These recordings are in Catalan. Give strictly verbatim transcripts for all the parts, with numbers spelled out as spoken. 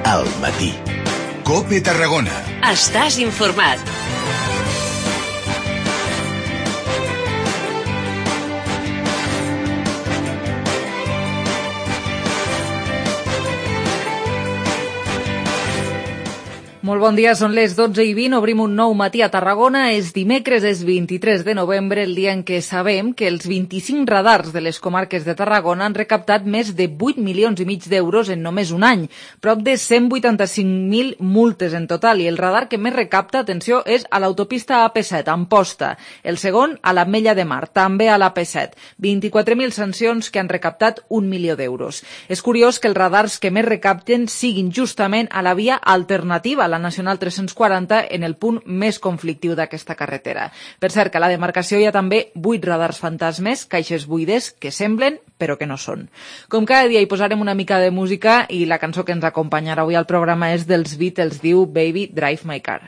al matí. COPE Tarragona. Estàs informat. Molt bon dia, són les dotze i vint, obrim un nou matí a Tarragona, és dimecres, és vint-i-tres de novembre, el dia en què sabem que els vint-i-cinc radars de les comarques de Tarragona han recaptat més de vuit milions i mig d'euros en només un any, prop de cent vuitanta-cinc mil multes en total, i el radar que més recapta, atenció, és a l'autopista A P set, a Amposta, el segon a l'Ametlla de Mar, també a l'A P set, vint-i-quatre mil sancions que han recaptat un milió d'euros. És curiós que els radars que més recapten siguin justament a la via alternativa, a la Nacional tres-cents quaranta, en el punt més conflictiu d'aquesta carretera. Per cert, que a la demarcació hi ha també vuit radars fantasmes, caixes buides, que semblen, però que no són. Com cada dia hi posarem una mica de música i la cançó que ens acompanyarà avui al programa és dels Beatles, diu Baby Drive My Car.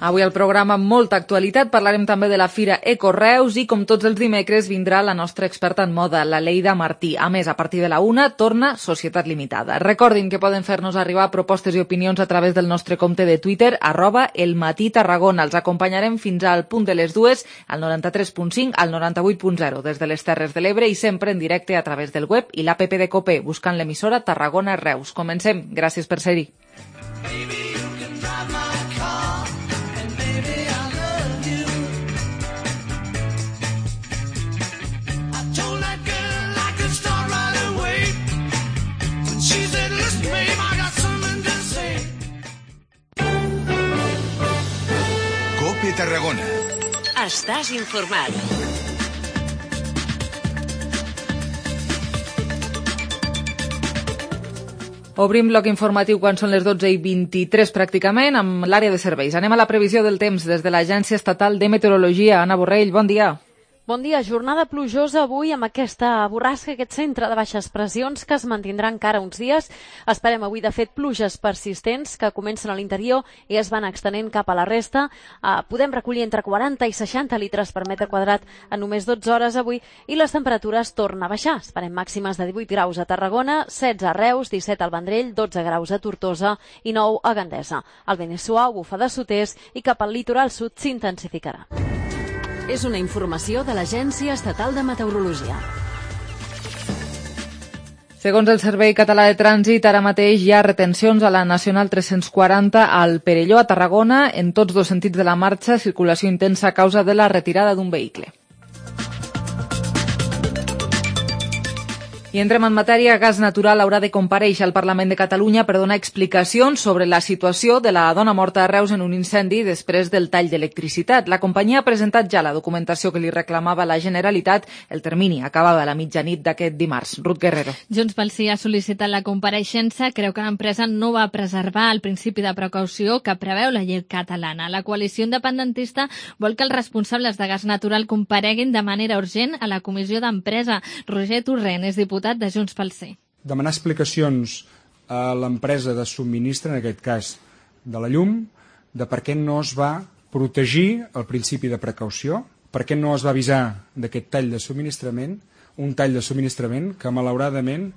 Avui al programa amb molta actualitat parlarem també de la Fira Ecoreus i com tots els dimecres vindrà la nostra experta en moda, la Leida Martí. A més, a partir de la una torna Societat Limitada. Recordin que poden fer-nos arribar propostes i opinions a través del nostre compte de Twitter, arroba elmatí-tarragona. Els acompanyarem fins al punt de les dues, al noranta-tres punt cinc, al noranta-vuit punt zero, des de les Terres de l'Ebre i sempre en directe a través del web i l'app de COPE, buscant l'emissora Tarragona Reus. Comencem. Gràcies per ser-hi. COPE Tarragona. Estàs informat. Obrim bloc informatiu quan són les dotze i vint-i-tres pràcticament amb l'àrea de serveis. Anem a la previsió del temps des de l'Agència Estatal de Meteorologia. Anna Borrell, bon dia. Bon dia, jornada plujosa avui amb aquesta borrasca, aquest centre de baixes pressions que es mantindrà encara uns dies. Esperem avui, de fet, pluges persistents que comencen a l'interior i es van extenent cap a la resta. Uh, podem recollir entre quaranta i seixanta litres per metre quadrat en només dotze hores avui i les temperatures tornen a baixar. Esperem màximes de divuit graus a Tarragona, setze a Reus, disset al Vendrell, dotze graus a Tortosa i nou a Gandesa. El vent és suau, bufa de sud-est i cap al litoral sud s'intensificarà. És una informació de l'Agència Estatal de Meteorologia. Segons el Servei Català de Trànsit, ara mateix hi ha retencions a la Nacional tres-cents quaranta al Perelló, a Tarragona, en tots dos sentits de la marxa, circulació intensa a causa de la retirada d'un vehicle. I entrem en matèria. Gas Natural haurà de comparèixer al Parlament de Catalunya per donar explicacions sobre la situació de la dona morta a Reus en un incendi després del tall d'electricitat. La companyia ha presentat ja la documentació que li reclamava la Generalitat. El termini acabava a la mitjanit d'aquest dimarts. Ruth Guerrero. Junts pel Sí ha sol·licitat la compareixença. Creu que l'empresa no va preservar el principi de precaució que preveu la llei catalana. La coalició independentista vol que els responsables de Gas Natural compareguin de manera urgent a la Comissió d'Empresa. Roger Torrent és diputat de Junts pel Sí. Demanar explicacions a l'empresa de subministre, en aquest cas de la llum, de per què no es va protegir el principi de precaució, per què no es va avisar d'aquest tall de subministrament, un tall de subministrament que malauradament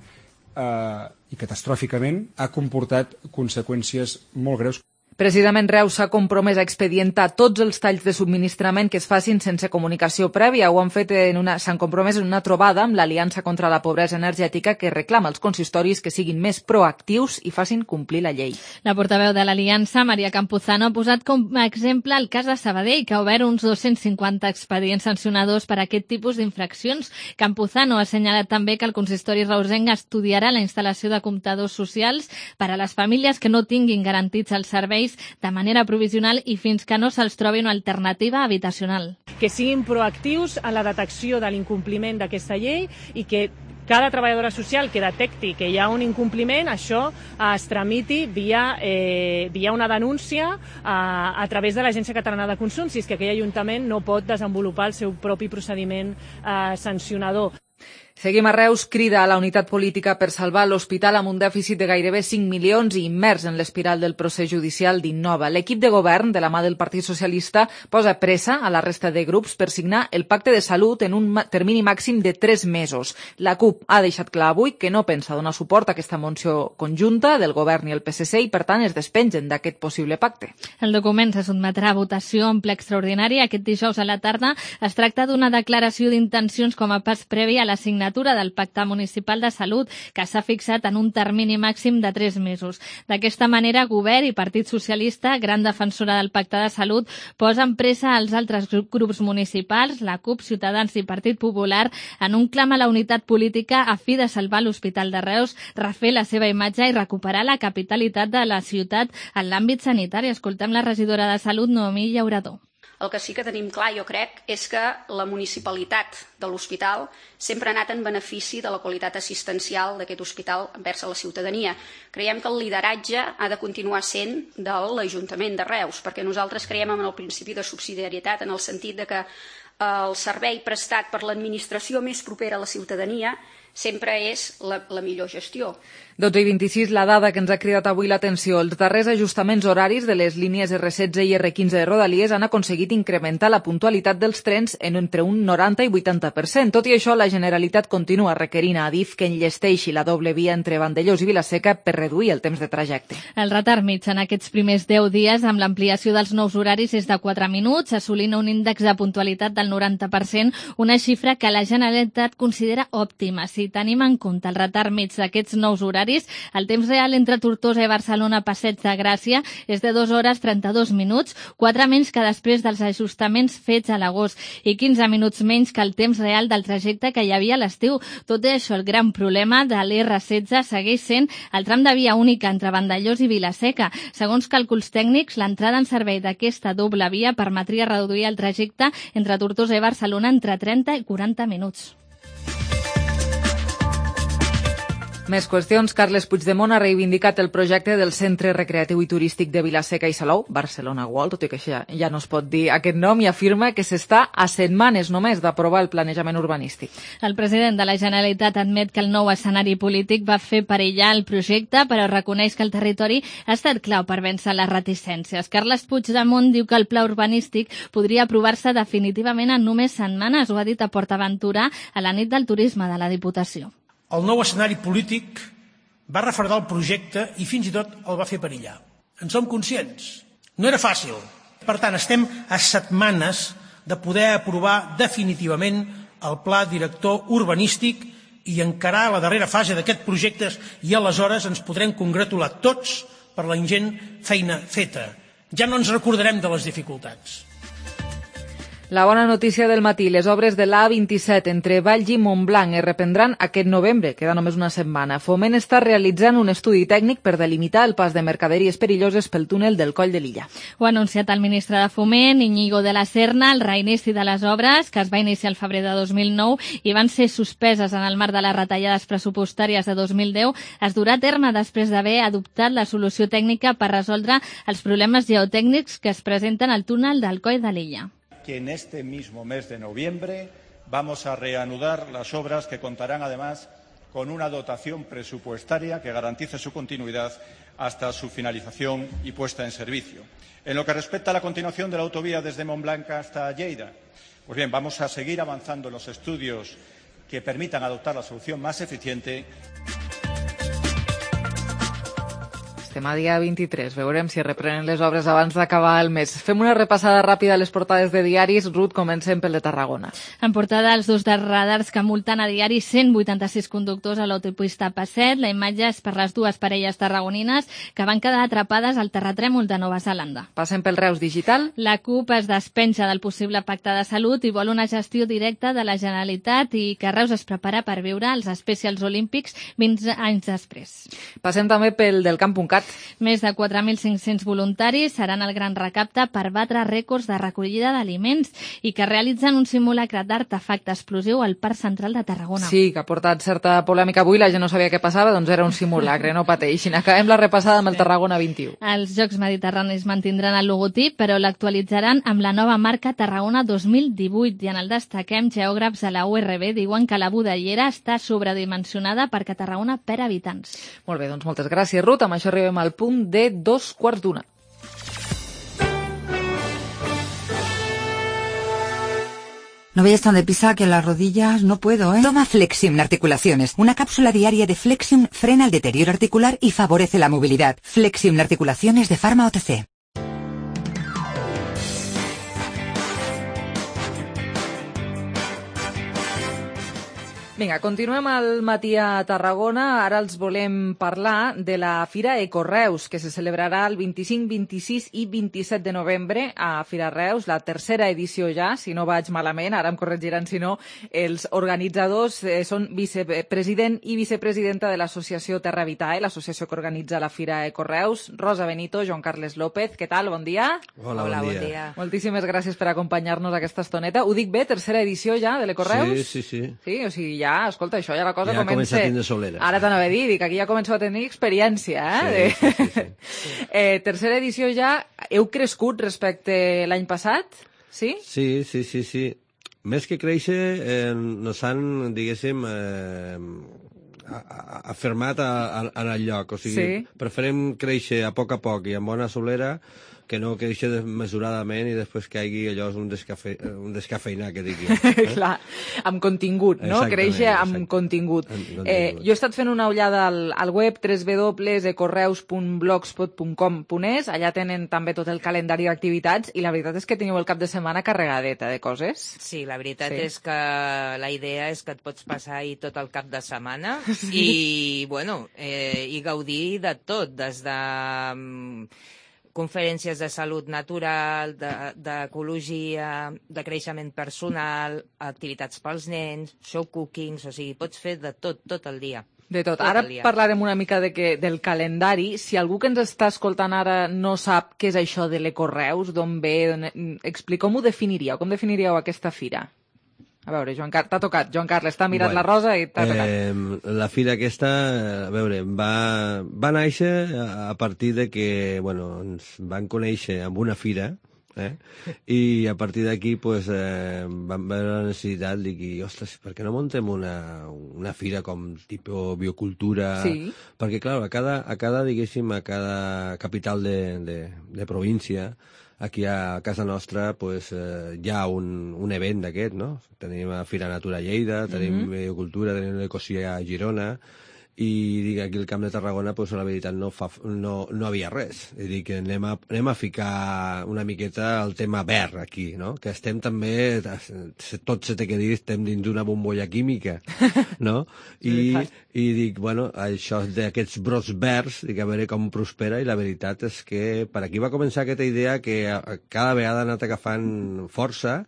eh, i catastròficament ha comportat conseqüències molt greus. Precisament Reus s'ha compromès a expedientar tots els talls de subministrament que es facin sense comunicació prèvia. Ho han fet en una, s'han compromès en una trobada amb l'Aliança contra la Pobresa Energètica que reclama als consistoris que siguin més proactius i facin complir la llei. La portaveu de l'Aliança, Maria Campuzano, ha posat com a exemple el cas de Sabadell, que ha obert uns dos-cents cinquanta expedients sancionadors per a aquest tipus d'infraccions. Campuzano ha assenyalat també que el consistori reusenc estudiarà la instal·lació de comptadors socials per a les famílies que no tinguin garantits els serveis de manera provisional i fins que no se'ls trobi una alternativa habitacional. Que siguin proactius en la detecció de l'incompliment d'aquesta llei i que cada treballadora social que detecti que hi ha un incompliment, això es tramiti via, eh, via una denúncia a, a través de l'Agència Catalana de Consum, si és que aquell ajuntament no pot desenvolupar el seu propi procediment eh, sancionador. Seguim a Reus, crida a la unitat política per salvar l'hospital amb un dèficit de gairebé cinc milions i immers en l'espiral del procés judicial d'Innova. L'equip de govern, de la mà del Partit Socialista, posa pressa a la resta de grups per signar el pacte de salut en un termini màxim de tres mesos. La CUP ha deixat clar avui que no pensa donar suport a aquesta moció conjunta del govern i el P S C i, per tant, es despengen d'aquest possible pacte. El document se sotmetrà a votació en ple extraordinari aquest dijous a la tarda. Es tracta d'una declaració d'intencions com a pas previ a la signatura del Pacte Municipal de Salut, que s'ha fixat en un termini màxim de tres mesos. D'aquesta manera, Govern i Partit Socialista, gran defensora del Pacte de Salut, posen pressa als altres grups municipals, la CUP, Ciutadans i Partit Popular, en un clam a la unitat política a fi de salvar l'Hospital de Reus, refer la seva imatge i recuperar la capitalitat de la ciutat en l'àmbit sanitari. Escoltem la regidora de Salut, Noemí Llaurador. El que sí que tenim clar, jo crec, és que la municipalitat de l'hospital sempre ha anat en benefici de la qualitat assistencial d'aquest hospital envers a la ciutadania. Creiem que el lideratge ha de continuar sent de l'Ajuntament de Reus, perquè nosaltres creiem en el principi de subsidiarietat, en el sentit de que el servei prestat per l'administració més propera a la ciutadania sempre és la, la millor gestió. dotze i vint-i-sis, la dada que ens ha cridat avui l'atenció. Els darrers ajustaments horaris de les línies erre setze i erre quinze de Rodalies han aconseguit incrementar la puntualitat dels trens en entre un noranta i vuitanta per cent. Tot i això, la Generalitat continua requerint a Adif que enllesteixi la doble via entre Vandellòs i Vila-seca per reduir el temps de trajecte. El retard mig en aquests primers deu dies amb l'ampliació dels nous horaris és de quatre minuts, assolint un índex de puntualitat del noranta per cent, una xifra que la Generalitat considera òptima. Si tenim en compte el retard mig d'aquests nous horaris, el temps real entre Tortosa i Barcelona Passeig de Gràcia és de dues hores trenta-dos minuts, quatre menys que després dels ajustaments fets a l'agost i quinze minuts menys que el temps real del trajecte que hi havia a l'estiu. Tot i això, el gran problema de l'erre setze segueix sent el tram de via única entre Vandellòs i Vila-seca. Segons càlculs tècnics, l'entrada en servei d'aquesta doble via permetria reduir el trajecte entre Tortosa i Barcelona entre trenta i quaranta minuts. Més qüestions. Carles Puigdemont ha reivindicat el projecte del Centre Recreatiu i Turístic de Vila-seca i Salou, Barcelona World, tot i que ja, ja no es pot dir aquest nom, i afirma que s'està a setmanes només d'aprovar el planejament urbanístic. El president de la Generalitat admet que el nou escenari polític va fer perillar el projecte, però reconeix que el territori ha estat clau per vèncer les reticències. Carles Puigdemont diu que el pla urbanístic podria aprovar-se definitivament en només setmanes, ho ha dit a PortAventura a la nit del turisme de la Diputació. El nou escenari polític va refredar el projecte i fins i tot el va fer perillar. En som conscients. No era fàcil. Per tant, estem a setmanes de poder aprovar definitivament el pla director urbanístic i encarar la darrera fase d'aquest projecte i aleshores ens podrem congratular tots per la ingent feina feta. Ja no ens recordarem de les dificultats. La bona notícia del matí, les obres de l'A vint-i-set entre Valls i Montblanc es reprendran aquest novembre, queda només una setmana. Foment està realitzant un estudi tècnic per delimitar el pas de mercaderies perilloses pel túnel del Coll de Lilla. Ho ha anunciat el ministre de Foment, Íñigo de la Serna, el reinici de les obres, que es va iniciar el febrer de dos mil nou i van ser suspeses en el marc de les retallades pressupostàries de dos mil deu, es durà a terme després d'haver adoptat la solució tècnica per resoldre els problemes geotècnics que es presenten al túnel del Coll de Lilla. Que en este mismo mes de noviembre vamos a reanudar las obras que contarán además con una dotación presupuestaria que garantice su continuidad hasta su finalización y puesta en servicio. En lo que respecta a la continuación de la autovía desde Montblanc hasta Lleida, pues bien, vamos a seguir avanzando en los estudios que permitan adoptar la solución más eficiente. Estem a dia vint-i-tres. Veurem si reprenen les obres abans d'acabar el mes. Fem una repassada ràpida a les portades de diaris. Ruth, comencem pel de Tarragona. En portada, els dos radars que multen a diari cent vuitanta-sis conductors a l'autopista P A set. La imatge és per les dues parelles tarragonines que van quedar atrapades al terratrèmol de Nova Zelanda. Passem pel Reus Digital. La CUP es despenja del possible pacte de salut i vol una gestió directa de la Generalitat i que Reus es prepara per viure els Specials Olímpics vint anys després. Passem també pel del Camp punt cat. explicat. Més de quatre mil cinc-cents voluntaris seran el gran recapte per batre rècords de recollida d'aliments i que realitzen un simulacre d'artefacte explosiu al Parc Central de Tarragona. Sí, que ha portat certa polèmica avui, la gent no sabia què passava, doncs era un simulacre, no pateixin. Acabem la repassada amb el Tarragona vint-i-u. Els Jocs Mediterranis mantindran el logotip, però l'actualitzaran amb la nova marca Tarragona dos mil divuit i en el destaquem geògrafs a la U R B diuen que la budellera està sobredimensionada perquè Tarragona perd habitants. Molt bé, doncs moltes gràcies, Ruth. Amb això arribem al punt de dos quarts d'una. No vayas tan deprisa que las rodillas no puedo, ¿eh? Toma Flexium Articulaciones. Una cápsula diaria de Flexium frena el deterioro articular y favorece la movilidad. Flexium Articulaciones de Pharma O T C. Vinga, continuem al matí a Tarragona. Ara els volem parlar de la Fira Ecoreus, que se celebrarà el vint-i-cinc, vint-i-sis i vint-i-set de novembre a Fira Reus, la tercera edició ja, si no vaig malament, ara em corregiran si no. Els organitzadors eh, són vicepresident i vicepresidenta de l'associació Terra Vitae, l'associació que organitza la Fira Ecoreus. Rosa Benito, Joan Carles López, què tal? Bon dia. Hola, Hola bon, bon dia. dia. Moltíssimes gràcies per acompanyar-nos aquesta estoneta. Ho dic bé, tercera edició ja de l'Ecoreus? Sí, sí, sí. Sí, o sigui, ja, escolta, això ja la cosa ja comença... Ja comença a tindre solera. Ara t'anava a dir, dic, aquí ja començo a tenir experiència, eh? Sí, sí, sí, sí. eh tercera edició ja, heu crescut respecte l'any passat? Sí? Sí, sí, sí, sí. Més que créixer, eh, nos han, diguéssim, eh, afirmat a, a, en el lloc. O sigui, sí. Preferim créixer a poc a poc i amb bona solera que no créixer desmesuradament i després que hi hagi allò un, descafe, un descafeinar, que digui. Eh? Clar, amb contingut, no? Créixer amb exacte. contingut. Amb contingut. Eh, jo he estat fent una ullada al, al web w w w punt ecoreus punt blogspot punt com punt es, allà tenen també tot el calendari d'activitats i la veritat és que teniu el cap de setmana carregadeta de coses. Sí, la veritat sí. és que la idea és que et pots passar ahir tot el cap de setmana sí. i, bueno, eh, i gaudir de tot, des de... conferències de salut natural, d'ecologia, de, de creixement personal, activitats pels nens, show cookings, o sigui, pots fer de tot, tot el dia. De tot. tot ara parlarem una mica de que, del calendari. Si algú que ens està escoltant ara no sap què és això de l'Ecoreus, d'on ve, explica, com ho definiríeu? Com definiríeu aquesta fira? A veure, Joan Car... t'ha tocat. Joan Carles, t'ha mirat bueno, la rosa i t'ha tocat. Eh, la fira aquesta, a veure, va, va néixer a partir de que, bueno, ens van conèixer amb una fira, eh? I a partir d'aquí, pues, eh, vam veure la necessitat de dir, ostres, per què no muntem una, una fira com tipus biocultura? Sí. Perquè, clar, a cada, a cada, diguéssim, a cada capital de, de, de província, aquí a casa nostra pues, eh, hi ha un, un event d'aquest, no? Tenim a Fira Natura Lleida, tenim mm -hmm. Biocultura, tenim l'Ecosia a Girona, i dic, aquí al Camp de Tarragona pues, la veritat no, fa, no, no havia res. És dir, que anem a, anem a ficar una miqueta el tema verd aquí, no? Que estem també, tot se té que dir, estem dins d'una bombolla química, no? I, i dic, bueno, això d'aquests brots verds, dic, a veure com prospera, i la veritat és que per aquí va començar aquesta idea que cada vegada ha anat agafant força,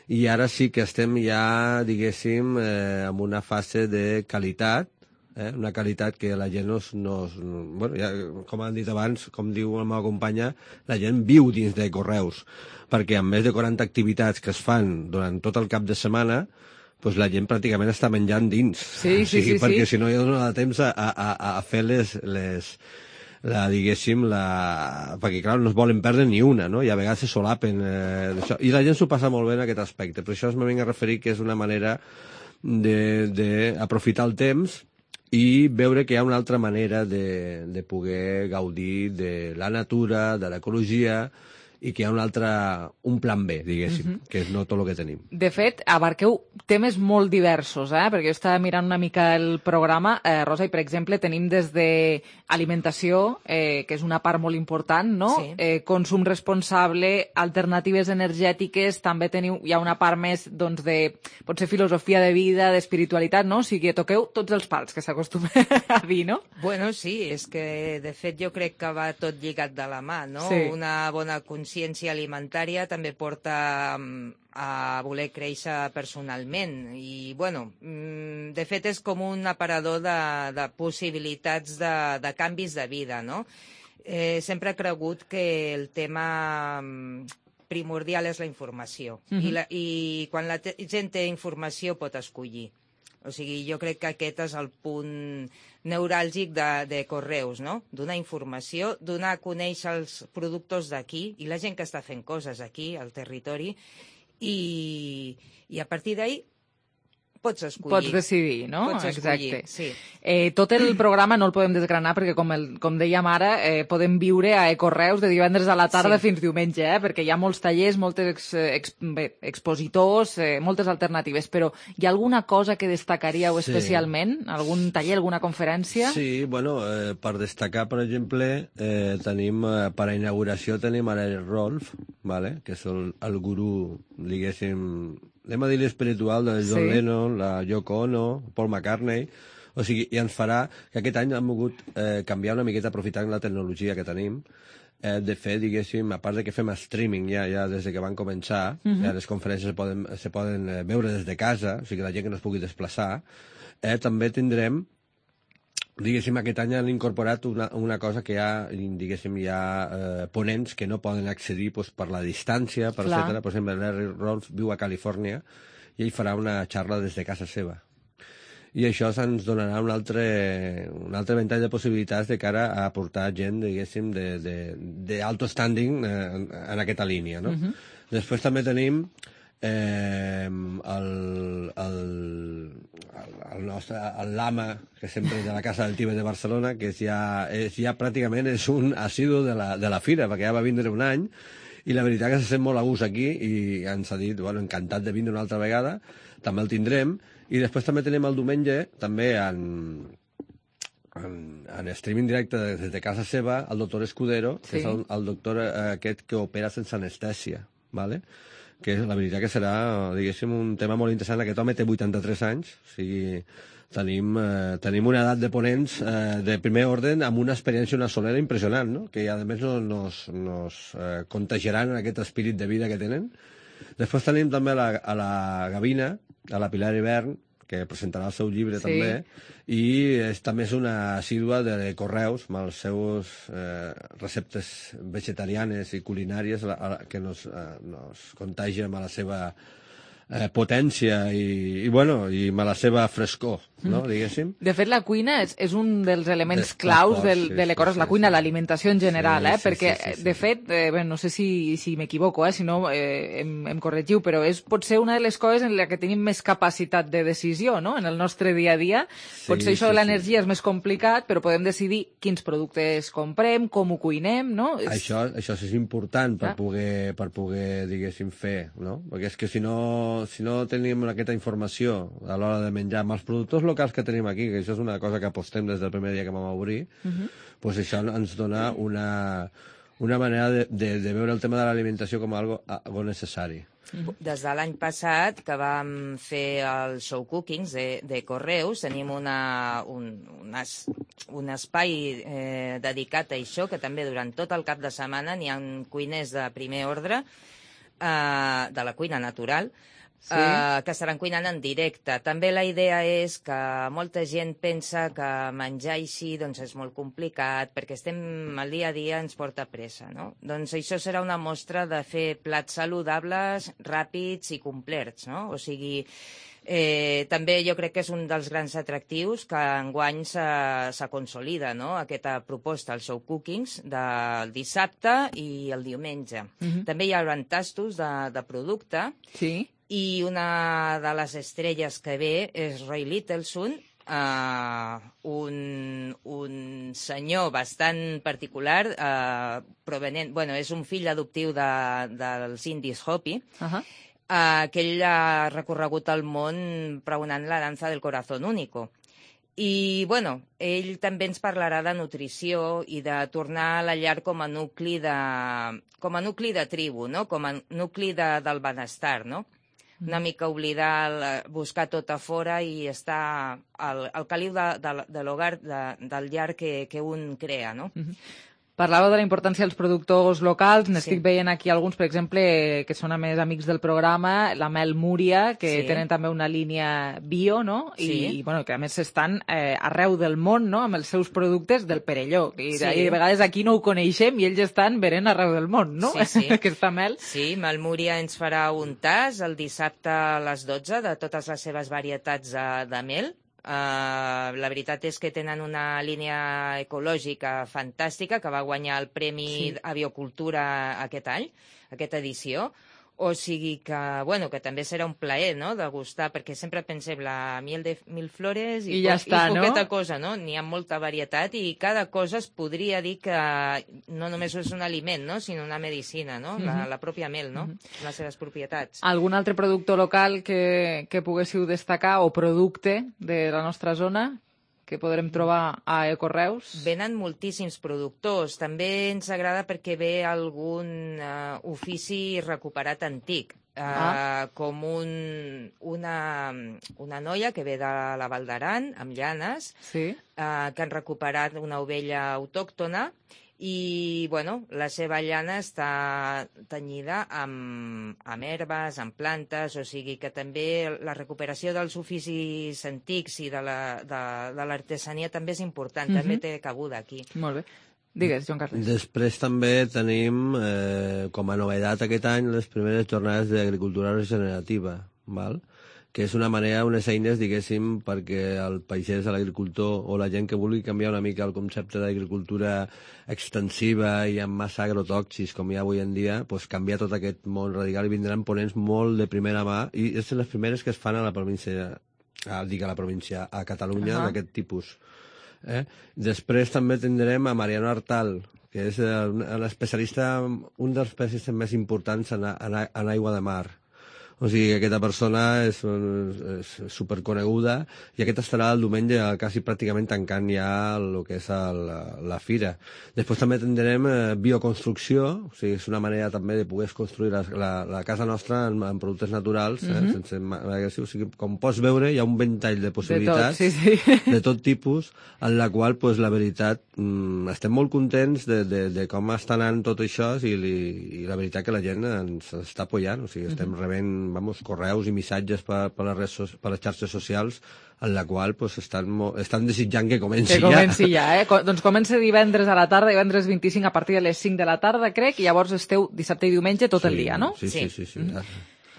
i ara sí que estem ja, diguéssim, eh, en una fase de qualitat, Eh? una qualitat que la gent no... no bueno, ja, com han dit abans, com diu la meva companya, la gent viu dins de Correus, perquè amb més de quaranta activitats que es fan durant tot el cap de setmana, pues la gent pràcticament està menjant dins. Sí, sí, o sigui, sí. Perquè sí. si no hi ha donat temps a, a, a fer les... les la, diguéssim, la... perquè clar, no es volen perdre ni una, no? I a vegades se solapen eh, d'això. I la gent s'ho passa molt bé en aquest aspecte. Per això es me vinc a referir que és una manera d'aprofitar el temps i veure que hi ha una altra manera de, de poder gaudir de la natura, de l'ecologia, i que hi ha un altre, un plan B, diguéssim, uh-huh. que és no tot el que tenim. De fet, abarqueu temes molt diversos, eh? Perquè jo estava mirant una mica el programa, eh, Rosa, i per exemple tenim des de alimentació, eh, que és una part molt important, no? Sí. Eh, consum responsable, alternatives energètiques, també teniu, hi ha una part més, doncs, de, potser filosofia de vida, d'espiritualitat, no? O sigui, toqueu tots els pals, que s'acostuma a dir, no? Bueno, sí, és que, de fet, jo crec que va tot lligat de la mà, no? Sí. Una bona consciència consciència alimentària també porta a voler créixer personalment i, bueno, de fet és com un aparador de, de possibilitats de, de canvis de vida, no? Eh, sempre he cregut que el tema primordial és la informació. Mm-hmm. I, la, I quan la gent té informació pot escollir. O sigui, jo crec que aquest és el punt neuràlgic de, de Correus, no? Donar informació, donar a conèixer els productes d'aquí i la gent que està fent coses aquí, al territori, i, i a partir d'ahí pots escollir. Pots decidir, no? Pots escollir, exacte. sí. Eh, tot el programa no el podem desgranar perquè, com, el, com dèiem ara, eh, podem viure a Ecorreus de divendres a la tarda sí. fins diumenge, eh, perquè hi ha molts tallers, moltes ex, ex, bé, expositors, eh, moltes alternatives, però hi ha alguna cosa que destacaríeu sí. especialment? Algun taller, alguna conferència? Sí, bueno, eh, per destacar, per exemple, eh, tenim, eh, per a inauguració tenim ara el Rolf, vale? Que és el, el gurú, diguéssim, anem a dir l'espiritual de John sí. Lennon, la Yoko Ono, Paul McCartney, o sigui, i ens farà que aquest any hem volgut eh, canviar una miqueta aprofitant la tecnologia que tenim, eh, de fer, diguéssim, a part de que fem streaming ja, ja des de que van començar, uh-huh. eh, les conferències se poden, se poden eh, veure des de casa, o sigui, la gent que no es pugui desplaçar, eh, també tindrem, diguéssim, aquest any han incorporat una, una cosa que hi ha, diguéssim, hi ha eh, ponents que no poden accedir pues, per la distància, per etcètera. Per exemple, Larry Rolf viu a Califòrnia i ell farà una xarra des de casa seva. I això ens donarà un altre, un altre ventall de possibilitats de cara a portar gent, diguéssim, d'alto standing eh, en, en aquesta línia, no? Uh-huh. Després també tenim Eh, el, el, el nostre el Lama, que sempre és de la Casa del Tíbet de Barcelona, que és ja, és ja pràcticament és un assidu de la, de la fira, perquè ja va vindre un any i la veritat que se sent molt a gust aquí i ens ha dit, bueno, encantat de vindre una altra vegada, també el tindrem. I després també tenim el diumenge, també en, en, en streaming directe des de casa seva, el doctor Escudero, sí. que és el, el doctor aquest que opera sense anestèsia, ¿vale? Que la veritat que serà, diguéssim, un tema molt interessant. Aquest home té vuitanta-tres anys, o sigui, tenim, eh, tenim una edat de ponents eh, de primer ordre amb una experiència, una solera impressionant, no? Que a més no, nos, nos eh, contagiaran en aquest espírit de vida que tenen. Després tenim també a la, a la Gavina, a la Pilar Hivern, que presentarà el seu llibre sí. també, i és, també és una assídua de Correus, amb els seus eh, receptes vegetarianes i culinàries a la, a la, que nos, eh, nos contagien amb la seva eh, potència i, i, bueno, i amb la seva frescor, no, diguéssim. De fet, la cuina és, és un dels elements Des, claus del, sí, de l'Ecorreus, sí, la cuina, sí. l'alimentació en general, sí, eh? sí, perquè, sí, sí, sí. de fet, eh, bé, no sé si, si m'equivoco, eh? si no eh, em, em corregiu, però és potser una de les coses en la que tenim més capacitat de decisió, no?, en el nostre dia a dia. Sí, potser això sí, de l'energia sí. és més complicat, però podem decidir quins productes comprem, com ho cuinem, no? És... Això, això és important per ah. poder, per poder, diguéssim, fer, no? Perquè és que si no, si no tenim aquesta informació a l'hora de menjar amb els productors locals que tenim aquí, que això és una cosa que apostem des del primer dia que vam obrir, uh-huh. pues això ens dona una, una manera de, de, de veure el tema de l'alimentació com algo, algo necessari. Des de l'any passat, que vam fer el show cookings de, de Correus, tenim una, un, un, es, un espai eh, dedicat a això, que també durant tot el cap de setmana n'hi ha cuiners de primer ordre, eh, de la cuina natural, sí. uh, que estaran cuinant en directe. També la idea és que molta gent pensa que menjar així doncs, és molt complicat, perquè estem el dia a dia ens porta pressa, no? Doncs això serà una mostra de fer plats saludables, ràpids i complets, no? O sigui, Eh, també jo crec que és un dels grans atractius que enguany se, se consolida, no?, aquesta proposta, el show cookings, del dissabte i el diumenge. Uh-huh. També hi haurà tastos de, de producte, sí. i una de les estrelles que ve és Roy Littleson, Uh, un, un senyor bastant particular, uh, provenent, bueno, és un fill adoptiu de, dels indis Hopi, uh-huh. uh, que ell ha recorregut el món pregonant la dansa del corazón único. I, bueno, ell també ens parlarà de nutrició i de tornar a la llar com a nucli de, com a nucli de tribu, no?, com a nucli de, del benestar, no?, una mica oblidar, buscar tot a fora i estar al, al caliu de, de, de l'hogar, de, del llar que, que un crea, no? Uh-huh. Parlàveu de la importància dels productors locals, n'estic Sí. veient aquí alguns, per exemple, que són a més amics del programa, la Mel Múria, que Sí. tenen també una línia bio, no? I, Sí. bueno, que a més estan eh, arreu del món, no?, amb els seus productes del Perelló. I, Sí. I de vegades aquí no ho coneixem i ells estan venent arreu del món, no? Sí, sí. Aquesta mel. Sí, Melmúria ens farà un tas el dissabte a les dotze de totes les seves varietats de, de mel. Uh, la veritat és que tenen una línia ecològica fantàstica que va guanyar el Premi Sí. a Biocultura aquest any, aquesta edició. O sigui que, bueno, que també serà un plaer, no?, de gustar, perquè sempre pensem la miel de mil flores i, I ja po- està, i no? poqueta cosa, no? N'hi ha molta varietat i cada cosa es podria dir que no només és un aliment, no?, sinó una medicina, no?, la, Mhm. la pròpia mel, no?, les seves propietats. Algun altre productor local que, que poguéssiu destacar o producte de la nostra zona que podrem trobar a Ecoreus? Venen moltíssims productors. També ens agrada perquè ve algun uh, ofici recuperat antic, uh, Ah. com un, una, una noia que ve de la Val d'Aran, amb llanes, Sí. uh, que han recuperat una ovella autòctona i, bueno, la seva llana està tenyida amb, amb herbes, amb plantes, o sigui que també la recuperació dels oficis antics i de la- de, de l'artesania també és important, Mhm. també té cabuda aquí. Molt bé. Digues, Joan Carles. Després també tenim, eh, com a novedat aquest any, les primeres jornades d'agricultura regenerativa, val? Que és una manera, unes eines, diguéssim, perquè el pagès, l'agricultor o la gent que vulgui canviar una mica el concepte d'agricultura extensiva i amb massa agrotòxics, com hi ha avui en dia, pues, canviar tot aquest món radical i vindran ponents molt de primera mà, i són les primeres que es fan a la província, a, dic a la província, a Catalunya, Ahà. d'aquest tipus. Eh? Després també tindrem a Mariano Artal, que és eh, un un especialista, un dels especialistes més importants en, a- en, a- en aigua de mar. O sigui que aquesta persona és, és superconeguda i aquest estarà el diumenge quasi pràcticament tancant ja el que és el, la fira. Després també tindrem eh, bioconstrucció, o sigui, és una manera també de poder construir la, la, la casa nostra en, en productes naturals, eh, Mhm. sense ma- agressiu. O sigui, com pots veure, hi ha un ventall de possibilitats sí, sí. de tot tipus, en la qual, pues, la veritat, mm, estem molt contents de, de, de com està anant tot això i, li, i la veritat que la gent ens està apoyant, o sigui, estem Mhm. rebent vamos, correus i missatges per, per, les, redes, so- per les xarxes socials en la qual pues, estan, mo- estan desitjant que comenci Que comenci ja, eh? Co- Doncs comença divendres a la tarda, divendres vint-i-cinc a partir de les cinc de la tarda, crec, i llavors esteu dissabte i diumenge tot ja. el dia, no? Sí, sí, sí. sí, sí. Mhm.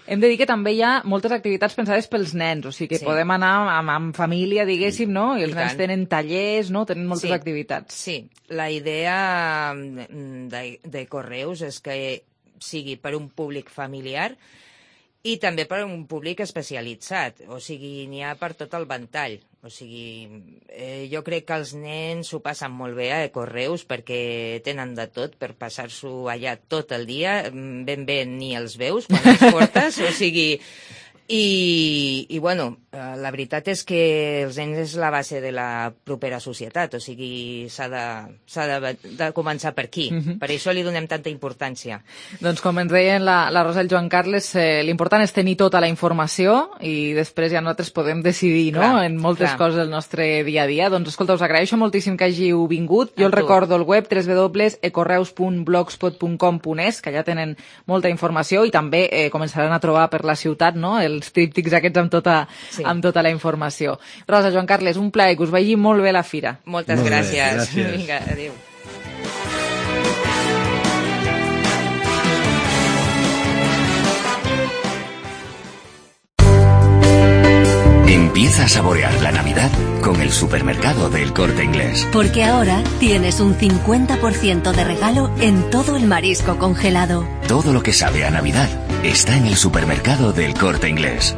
Hem de dir que també hi ha moltes activitats pensades pels nens, o sigui que Sí. podem anar amb, amb família, diguéssim, no? I els I nens tant. tenen tallers, no? Tenen moltes Sí. activitats. Sí, la idea mm, de, de Correus és que sigui per un públic familiar i també per un públic especialitzat, o sigui, n'hi ha per tot el ventall. O sigui, eh, jo crec que els nens s'ho passen molt bé a Correus perquè tenen de tot per passar-s'ho allà tot el dia, mm, ben bé ni els veus quan els portes, o sigui... I, i bueno, eh, la veritat és que els nens és la base de la propera societat, o sigui, s'ha de, s'ha de, de començar per aquí. Mhm. Per això li donem tanta importància. Doncs com ens deien la, la Rosa i el Joan Carles, eh, l'important és tenir tota la informació i després ja nosaltres podem decidir, no?, Clar, en moltes clar. coses del nostre dia a dia. Doncs escolta, us agraeixo moltíssim que hàgiu vingut. Jo A el tu. recordo el web doble u doble u doble u punt ecorreus punt blogspot punt com punt es, que allà tenen molta informació i també eh, començaran a trobar per la ciutat, no?, els tríptics aquests amb tota, Sí. amb tota la informació. Rosa, Joan Carles, un plaer, que us vagi molt bé la fira. Moltes Molt bé, gràcies. gràcies. Vinga, adéu. Empieza a saborear la Navidad con el supermercado del Corte Inglés. Porque ahora tienes un cincuenta por ciento de regalo en todo el marisco congelado. Todo lo que sabe a Navidad está en el supermercado del Corte Inglés.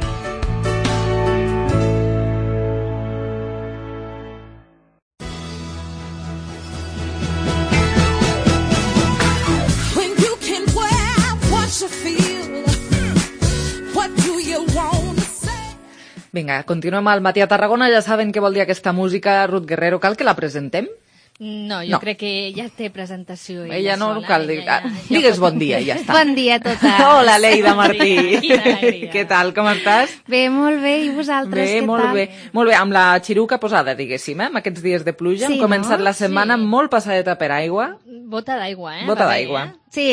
When you can wear what you feel, what do you want to say? Vinga, continuem al Matí a Tarragona. Ja saben què vol dir aquesta música, Ruth Guerrero. Cal que la presentem? No, jo No. crec que ja té presentació ella, Ella no sola. cal dir... ella ja- Ah, Digues bon dia i ja està. Bon dia a totes. Hola, Leida Martí. Quina alegria. Què tal, com estàs? Bé, molt bé, i vosaltres Bé, què molt tal? bé. Molt bé, amb la xiruca posada, diguéssim, eh? Amb aquests dies de pluja. Sí, Hem començat no? la setmana Sí. molt passadeta per aigua. Bota d'aigua, eh? Bota Va bé, d'aigua. eh? Sí,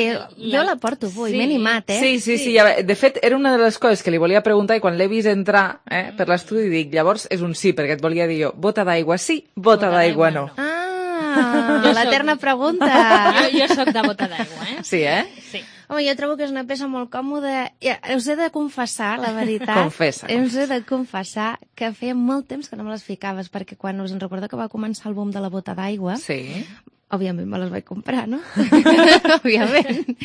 jo la porto avui, Sí. m'he animat, eh? Sí, sí, sí. Ja, de fet, era una de les coses que li volia preguntar i quan l'he vist entrar eh, per l'estudi dic, llavors és un sí, perquè et volia dir jo, bota d'aigua sí, bota, bota d'aigua no. Ah, Jo l'eterna soc- pregunta. Jo, jo sóc de bota d'aigua, eh? Sí, eh? Sí. Home, jo trobo que és una peça molt còmoda. Ja, us he de confessar, la veritat. Confessa, Us he de confessar que feia molt temps que no me les ficaves, perquè quan us en recordo que va començar el boom de la bota d'aigua, Sí. òbviament me les vaig comprar, no? Òbviament.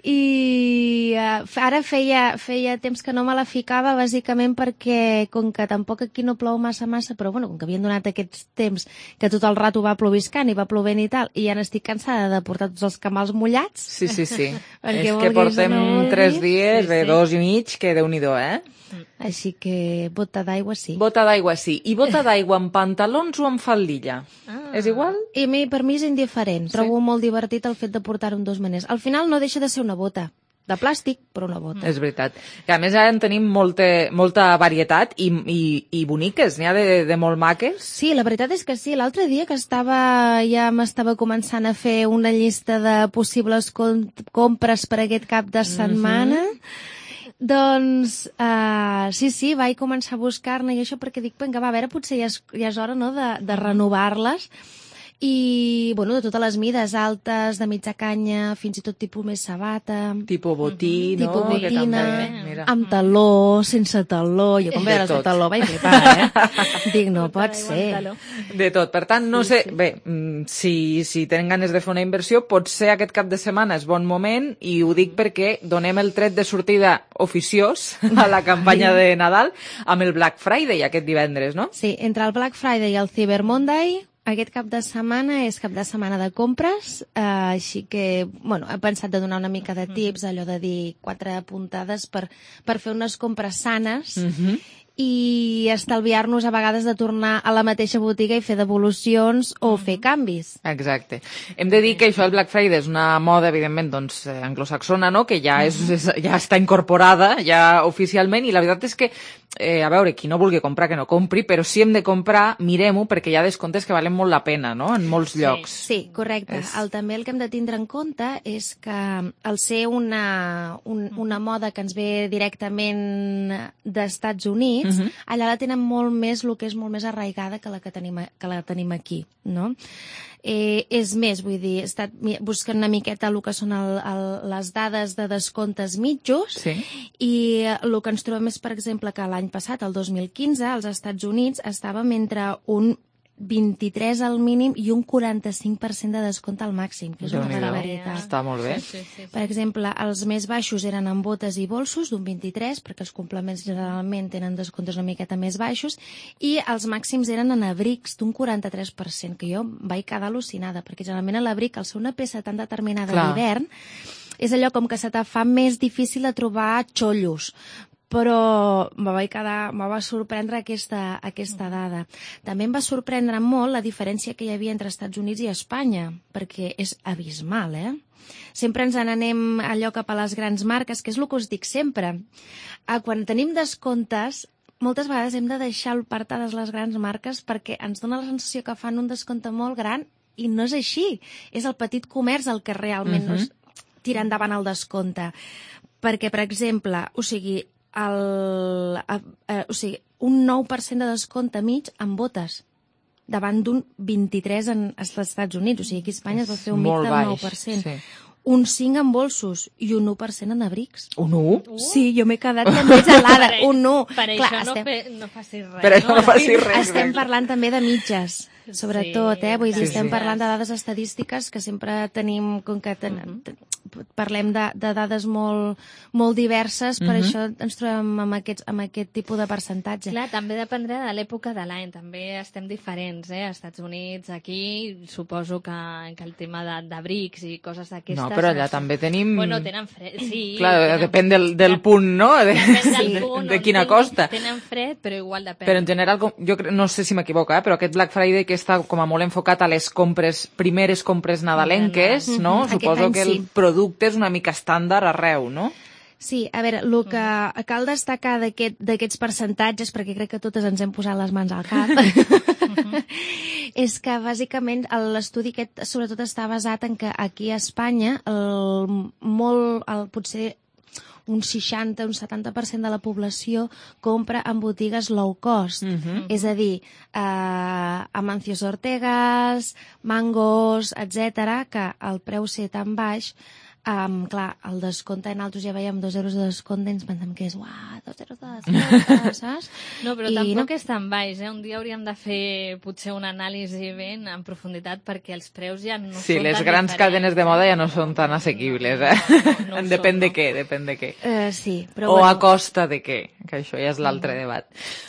I uh, ara feia, feia temps que no me la ficava, bàsicament perquè, com que tampoc aquí no plou massa massa, però bueno, com que havien donat aquests temps que tot el rato va ploviscant i va plovent i tal, i ja n'estic cansada de portar tots els camals mullats. Sí, sí, sí. Perquè És que vulguis portem o no vulguis. tres dies, Sí, bé, sí. dos i mig, que déu-n'hi-do, eh? Així que bota d'aigua sí. Bota d'aigua sí. I bota d'aigua amb pantalons o amb faldilla? Ah. És igual? I a mi, per mi és indiferent. Sí. Trobo molt divertit el fet de portar-ho en dos maners. Al final no deixa de ser una bota. De plàstic, però una bota. És veritat. Que a més ara en tenim molta, molta varietat i, i, i boniques, n'hi ha de, de molt maques. Sí, la veritat és que sí. L'altre dia que estava ja m'estava començant a fer una llista de possibles com compres per aquest cap de setmana, mm-hmm. doncs uh, sí, sí, vaig començar a buscar-ne i això perquè dic, vinga, va, a veure, potser ja és, ja és hora, no?, de, de renovar-les. I, bueno, de totes les mides, altes, de mitja canya, fins i tot tipus més sabata. Tipo botí, no? Tipus Que botina, també, mira. amb taló, sense taló. Jo quan De veia les de tot. taló vaig flipar, eh? Dic, no pot ser. De tot. Per tant, no sé, bé, mm, si, si tenen ganes de fer una inversió, potser aquest cap de setmana és bon moment i ho dic perquè donem el tret de sortida oficiós a la campanya de Nadal amb el Black Friday aquest divendres, no? Sí, entre el Black Friday i el Cyber Monday, aquest cap de setmana és cap de setmana de compres, eh, així que, bueno, he pensat de donar una mica de tips, allò de dir quatre puntades per, per fer unes compres sanes Mhm. i estalviar-nos a vegades de tornar a la mateixa botiga i fer devolucions o fer canvis. Exacte. Hem de dir que això del Black Friday és una moda, evidentment, doncs, eh, anglosaxona, no?, que ja, és, és, ja està incorporada, ja oficialment, i la veritat és que, eh, a veure, qui no vulgui comprar, que no compri, però si hem de comprar, mirem-ho, perquè hi ha descomptes que valen molt la pena, no?, en molts llocs. Sí, correcte. És- El, també el que hem de tindre en compte és que al ser una, un, una moda que ens ve directament d'Estats Units, Mhm. allà la tenen molt més, el que és molt més arraigada que la que tenim, a- que la tenim aquí, no? Eh, és més, vull dir, he estat mi- buscant una miqueta el que són el, el, les dades de descomptes mitjos Sí. i eh, el que ens trobem és, per exemple, que l'any passat, el dos mil quinze, als Estats Units estàvem entre un vint-i-tres al mínim i un quaranta-cinc per cent de descompte al màxim, que és una Déu-n'hi-do. barbaritat. Està molt bé. Sí, sí, sí. Per exemple, els més baixos eren en botes i bolsos, d'un vint-i-tres, perquè els complements generalment tenen descomptes una miqueta més baixos, i els màxims eren en abrics, d'un quaranta-tres per cent, que jo vaig quedar al·lucinada, perquè generalment l'abric, al ser una peça tan determinada Clar. d'hivern, és allò com que se te fa més difícil de trobar xollos, però me vaig quedar, me va sorprendre aquesta, aquesta dada. També em va sorprendre molt la diferència que hi havia entre Estats Units i Espanya, perquè és abismal, eh? Sempre ens n'anem allò cap a les grans marques, que és el que us dic sempre. Ah, quan tenim descomptes, moltes vegades hem de deixar apartades les grans marques perquè ens dona la sensació que fan un descompte molt gran i no és així. És el petit comerç el que realment Mhm. no es tira endavant el descompte. Perquè, per exemple, o sigui, el, a, a, o sigui, un nou per cent de descompte mig en botes davant d'un vint-i-tres en als Estats Units. O sigui, aquí a Espanya es va fer un mig Molt del baix, nou per cent. sí. Un cinc en bolsos i un u per cent en abrics. Un u? Sí, jo m'he quedat també gelada. Per- Un u. Per Clar, això no, estem, fe, no facis res. Per això no facis res. estem parlant també de mitges, sobretot, eh? Vull dir, Sí, estem sí. parlant de dades estadístiques que sempre tenim, com que ten, ten, parlem de, de dades molt, molt diverses, per Mhm. això ens trobem amb aquest, amb aquest tipus de percentatge. Clar, també dependrà de l'època de l'any, també estem diferents, eh? Als Estats Units, aquí, suposo que, que el tema de- d'abrics i coses d'aquestes... No, però allà sé. també tenim... Bueno, tenen fred, sí. Clar, tenen... depèn del, del punt, no? De, Depèn del punt, de on quina tinguin- costa. Tenen fred, però igual depèn. Però en general, com- jo cre- no sé si m'equivoco, eh? però aquest Black Friday que està com a molt enfocat a les compres, primeres compres nadalenques, Mhm. no? Aquest Suposo any que el sí. producte és una mica estàndard arreu, no? Sí, a veure, el que cal destacar d'aquest- d'aquests percentatges, perquè crec que totes ens hem posat les mans al cap, és que bàsicament l'estudi aquest sobretot està basat en que aquí a Espanya el, molt, el, potser un seixanta, un setanta per cent de la població compra en botigues low cost. Mhm. És a dir, eh, Amancios Ortegas, Mangos, etcètera, que el preu ser tan baix, Um, clar, el descompte en altres ja veiem dos euros de descompte i ens pensem que és, uah, dos euros de descompte, saps? No, però I tampoc no. és tan baix, eh? Un dia hauríem de fer potser una anàlisi ben en profunditat perquè els preus ja no Sí, són les tan grans diferents. cadenes de moda ja no són tan assequibles, eh? no ho depèn són, de no. què, depèn de què. Eh, sí, però o bueno. a costa de què, que això ja és l'altre Mm. debat.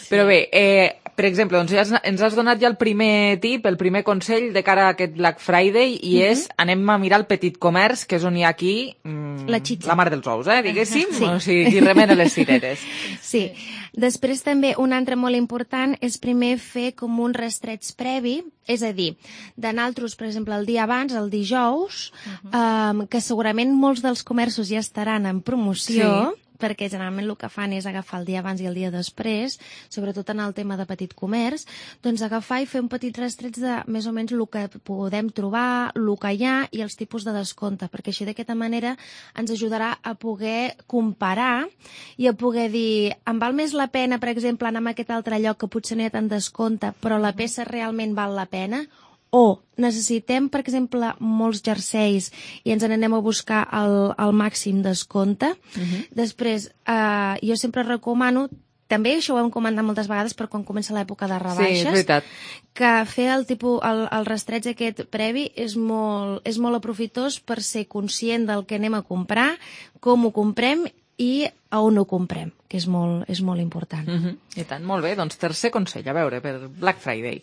Però bé, eh, per exemple, doncs ja has, ens has donat ja el primer tip, el primer consell de cara a aquest Black Friday, i Mhm. és, anem a mirar el petit comerç, que és on hi ha aquí mm, La xitxa. la mar dels ous, eh, diguéssim, Sí. o sigui, qui remena les cireres. Sí. Després també un altre molt important és primer fer com un rastreig previ, és a dir, de naltros, per exemple, el dia abans, el dijous, um, que segurament molts dels comerços ja estaran en promoció, Sí. perquè generalment el que fan és agafar el dia abans i el dia després, sobretot en el tema de petit comerç, doncs agafar i fer un petit rastreig de més o menys el que podem trobar, el que hi ha i els tipus de descompte, perquè així d'aquesta manera ens ajudarà a poder comparar i a poder dir, em val més la pena, per exemple, anar a aquest altre lloc que potser no hi ha tant descompte, però la peça realment val la pena? O necessitem, per exemple, molts jerseis i ens n'anem a buscar el, el màxim descompte. Mhm. Després, eh, jo sempre recomano, també això ho hem comentat moltes vegades, però quan comença l'època de Sí, rebaixes, és veritat. que fer el, tipus, el, el rastreig aquest previ és molt, és molt aprofitós per ser conscient del que anem a comprar, com ho comprem i a on ho comprem, que és molt, és molt important. Mhm. I tant, molt bé, doncs tercer consell, a veure, per Black Friday.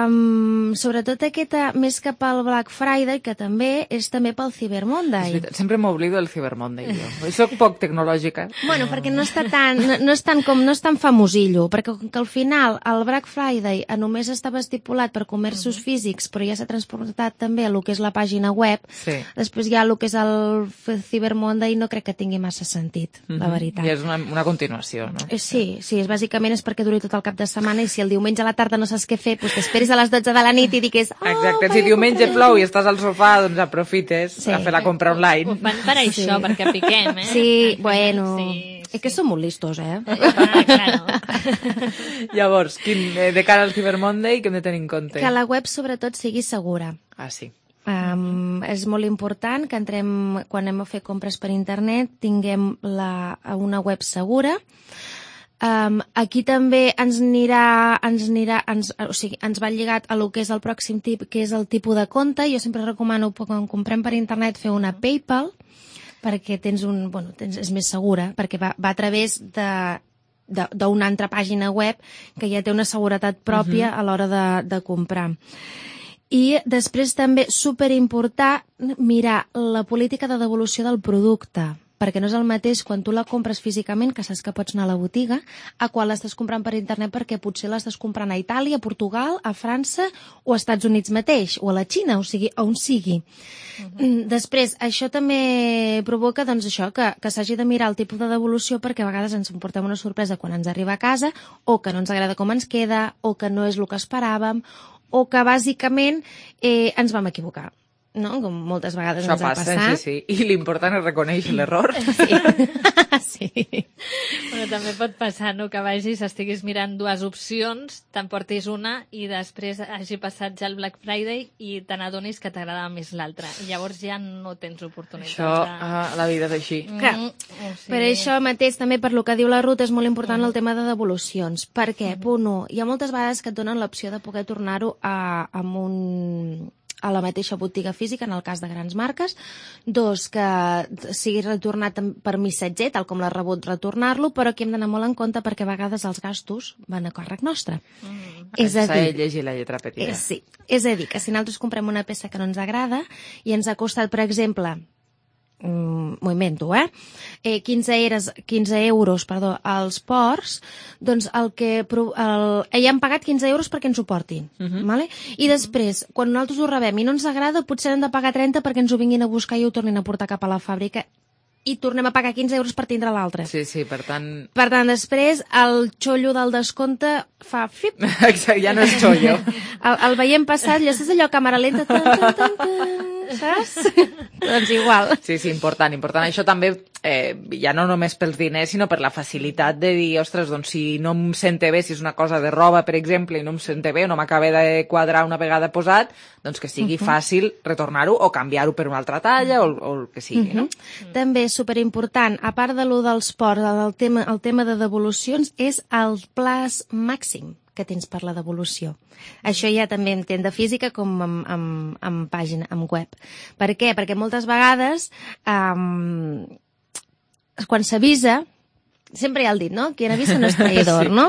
Um, sobretot aquesta, més que pel Black Friday, que també és també pel Cyber És Monday. veritat, sempre m'oblido del Cyber Monday, jo. Soc poc tecnològica. Bueno, perquè no està tan, no, no és tan com, no és tan famosillo, perquè com que al final el Black Friday només estava estipulat per comerços físics, però ja s'ha transportat també a lo que és la pàgina web, Sí. després ja el que és el Cyber Monday no crec que tingui massa sentit, la Mhm. veritat. I és una, una continuació, no? Eh, Sí, sí, és bàsicament és perquè duri tot el cap de setmana i si el diumenge a la tarda no saps què fer, doncs t'esperis a les dotze de la nit i digues oh, Exacte, si diumenge plou i estàs al sofà, doncs aprofites Sí. a fer la compra online. Ho fan per això, perquè piquem, eh? Sí, bueno, Sí, és que som molt listos, eh? Ah, claro. Llavors, quin, eh, de cara al Cyber Monday, què hem de tenir en compte? Que la web sobretot sigui segura. Ah, sí. Um, és molt important que entrem, quan anem a fer compres per internet, tinguem la, una web segura. Um, aquí també ens anirà, ens anirà ens, o sigui, ens va lligat a lo que és el pròxim tip, que és el tipus de compte. Jo sempre recomano, quan comprem per internet, fer una PayPal, perquè tens un, bueno, tens, és més segura, perquè va, va a través de de- d'una altra pàgina web que ja té una seguretat pròpia Mhm. a l'hora de, de comprar. I després també superimportant mirar la política de devolució del producte, perquè no és el mateix quan tu la compres físicament, que saps que pots anar a la botiga, a quan l'estàs comprant per internet perquè potser l'estàs comprant a Itàlia, a Portugal, a França o a Estats Units mateix, o a la Xina, o sigui, on sigui. Uh-huh. Després, això també provoca doncs, això que, que s'hagi de mirar el tipus de devolució perquè a vegades ens emportem una sorpresa quan ens arriba a casa o que no ens agrada com ens queda o que no és el que esperàvem o que bàsicament eh, ens vam equivocar. No? Com moltes vegades Això ens ha passa, passat. sí, sí. I l'important és reconèixer l'error. Sí. Bueno, també pot passar, no?, que vagis, estiguis mirant dues opcions, t'emportis una i després hagi passat ja el Black Friday i te n'adonis que t'agradava més l'altra. I llavors ja no tens oportunitats. Això, de... ah, la vida és així. Clar, Mm, o sigui... per això mateix, també per lo que diu la Ruth, és molt important el tema de devolucions. Per què? Punt u, hi ha moltes vegades que et donen l'opció de poder tornar-ho a, amb un a la mateixa botiga física, en el cas de grans marques. Dos, que sigui retornat per missatger, tal com l'ha rebut, retornar-lo, però aquí hem d'anar molt en compte perquè a vegades els gastos van a càrrec nostre. Mm. És a dir, llegir la lletra petita. Eh, sí, és a dir, que si nosaltres comprem una peça que no ens agrada i ens ha costat, per exemple, Mm, m'ho invento, eh? eh quinze, eres, quinze euros perdó, als ports, doncs el que el, ja han pagat quinze euros perquè ens ho portin. Uh-huh. Vale? I després, quan nosaltres ho rebem i no ens agrada, potser hem de pagar trenta perquè ens ho vinguin a buscar i ho tornin a portar cap a la fàbrica i tornem a pagar quinze euros per tindre l'altre. Sí, sí, per tant... Per tant, després, el xollo del descompte fa... Fip. Exacte, ja no és xollo. el, el veiem passat, ja saps allò, càmera lenta, tan, tan, tan, tan, saps? Doncs igual. Sí, sí, important, important. Això també, eh, ja no només pels diners, sinó per la facilitat de dir, ostres, doncs si no em sente bé, si és una cosa de roba, per exemple, i no em sente bé, o no m'acaba de quadrar una vegada posat, doncs que sigui uh-huh. fàcil retornar-ho o canviar-ho per una altra talla o, o el que sigui, uh-huh. no? També superimportant, a part de lo dels ports, el tema, el tema de devolucions és el plaç màxim que tens per la devolució. Això ja també entén de física com amb, amb, amb pàgina, amb web. Per què? Perquè moltes vegades um, quan s'avisa, sempre hi ha el dit, no? Qui avisa no és traïdor, sí. no?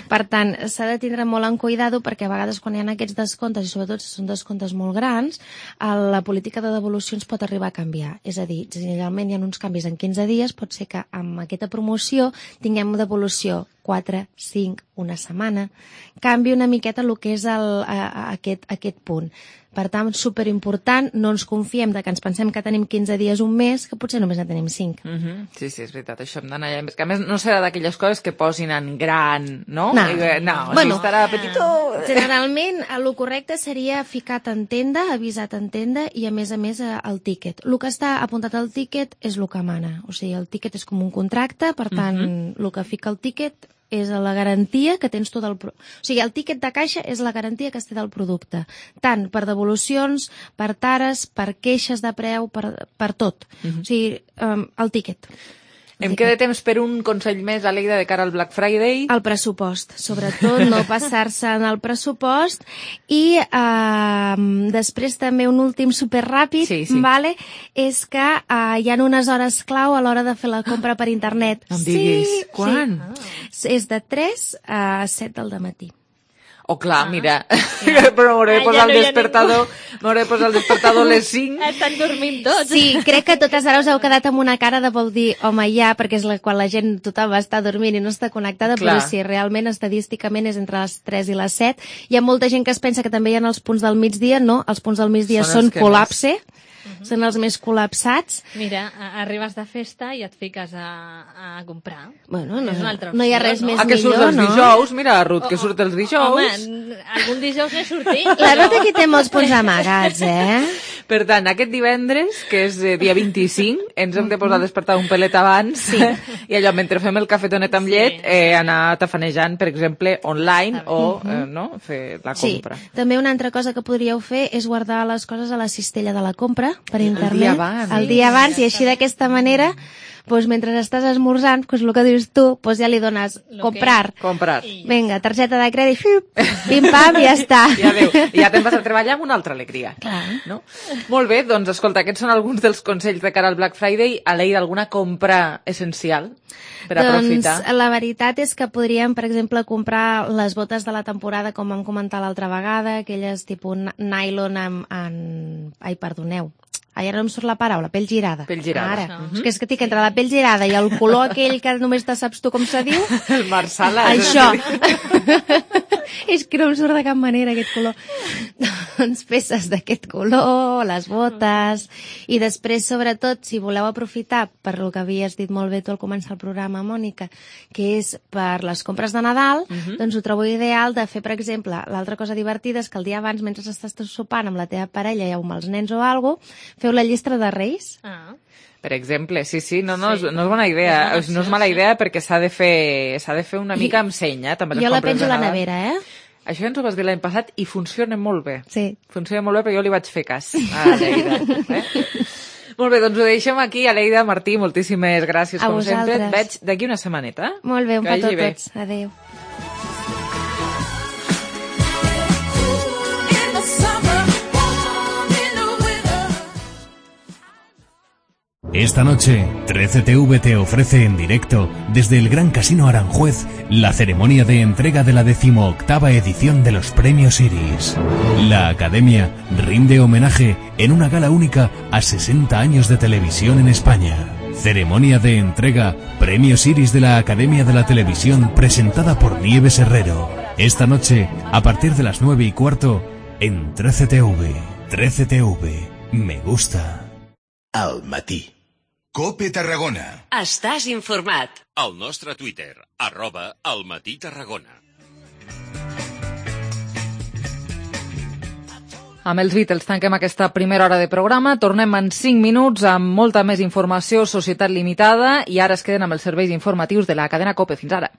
Per tant, s'ha de tindre molt en cuidado perquè a vegades quan hi ha aquests descomptes, i sobretot si són descomptes molt grans, la política de devolucions pot arribar a canviar. És a dir, generalment hi ha uns canvis en quinze dies, pot ser que amb aquesta promoció tinguem devolució quatre, cinc, una setmana. Canvi una miqueta el que és el, a, a, aquest, aquest punt. Per tant, superimportant, no ens confiem de que ens pensem que tenim quinze dies, un mes, que potser només en tenim cinc. Uh-huh. Sí, sí, és veritat, això hem d'anar allà. Que a més no serà d'aquelles coses que posin en gran, no? No, I, no bueno, si estarà petitó... Generalment, el correcte seria ficat en tenda, avisat en tenda i, a més a més, el tíquet. El que està apuntat al tíquet és el que mana. O sigui, el tíquet és com un contracte, per tant, uh-huh. el que fica el tíquet és la garantia que tens tu del... Pro... O sigui, el tíquet de caixa és la garantia que es té del producte. Tant per devolucions, per tares, per queixes de preu, per, per tot. Uh-huh. O sigui, um, el tíquet. Em queda temps per un consell més, Aleida, de cara al Black Friday. El pressupost, sobretot, no passar-se en el pressupost. I eh, després també un últim superràpid, sí, sí. Vale, és que eh, hi ha unes hores clau a l'hora de fer la compra per internet. Em diguis, sí, quan? Sí. És de tres a set del dematí. Oh, clar, ah, mira, ja. Però m'hauré de posar ah, ja no el despertador, m'hauré de posar el despertador a les cinc. Estan dormint tots. Sí, crec que totes ara us heu quedat amb una cara de vol dir, home, ja, perquè és la, quan la gent tothom està dormint i no està connectada, clar. Però sí, realment, estadísticament, és entre les tres i les set. Hi ha molta gent que es pensa que també hi ha els punts del migdia, no, els punts del migdia són, són col·lapse. Més. Uh-huh. Són els més col·lapsats. Mira, arribes de festa i et fiques a, a comprar. Bueno, no, és una altra opció, no hi ha res no? més ah, que millor, surt els no? dijous, mira, Ruth, que surt els dijous. Home, algun dijous n'he sortit. La Ruth aquí té molts punts amagats, eh? Per tant, aquest divendres, que és eh, dia vint-i-cinc, ens hem de posar a despertar un pelet abans, sí. I allò, mentre fem el cafetonet amb llet, eh, anar tafanejant, per exemple, online o eh, no, fer la compra. Sí. També una altra cosa que podríeu fer és guardar les coses a la cistella de la compra per internet. El dia abans. El dia abans, i així d'aquesta manera... Pues mentre estàs esmorzant, pues el que dius tu, pues ja li dones lo comprar. Que... Comprar. Vinga, targeta de crèdit, pim-pam, i ja està. I adéu. I ja te'n vas a treballar amb una altra alegria. Clar. No? Molt bé, doncs escolta, aquests són alguns dels consells de cara al Black Friday. Aleida, alguna compra essencial per doncs, aprofitar? Doncs la veritat és que podríem, per exemple, comprar les botes de la temporada, com vam comentar l'altra vegada, aquelles tipus nylon amb... En... Ai, perdoneu. Ara no em surt la paraula, pell girada. Pell girada. Ara. Uh-huh. És que és que tinc entre la pell girada i el color aquell que només te saps tu com se diu. El marsala. Això. És que no em surt de cap manera aquest color. Doncs peces d'aquest color, les botes... I després, sobretot, si voleu aprofitar per el que havies dit molt bé tu al començar el programa, Mònica, que és per les compres de Nadal, uh-huh. doncs ho trobo ideal de fer, per exemple, l'altra cosa divertida és que el dia abans, mentre estàs sopant amb la teva parella o amb els nens o alguna cosa, feu la llista de Reis. Ah. Per exemple, sí, sí, no, no, sí. És, no és bona idea, és no és mala idea perquè s'ha de fer s'ha de fer una mica amb seny, eh? També les jo la penjo a la Nadal. nevera, eh? Això ja ens ho vas dir l'any passat i funciona molt bé. Sí. Funciona molt bé perquè jo li vaig fer cas a Aleida. Eh? Molt bé, doncs ho deixem aquí. Aleida, Martí, moltíssimes gràcies, a com vosaltres. sempre. Et veig d'aquí una setmaneta. Molt bé, un que petó a tots. Adéu. In the summer, Esta noche, trece T V te ofrece en directo, desde el Gran Casino Aranjuez, la ceremonia de entrega de la decimoctava edición de los Premios Iris. La Academia rinde homenaje en una gala única a sesenta años de televisión en España. Ceremonia de entrega, Premios Iris de la Academia de la Televisión, presentada por Nieves Herrero. Esta noche, a partir de las nueve y cuarto, en trece T V. trece T V. Me gusta. Al matí. Cope Tarragona. Estàs informat. Al nostre Twitter, arroba al matí Tarragona. Amb els Beatles tanquem aquesta primera hora de programa. Tornem en cinc minuts amb molta més informació, Societat Limitada, i ara es queden amb els serveis informatius de la cadena COPE. Fins ara.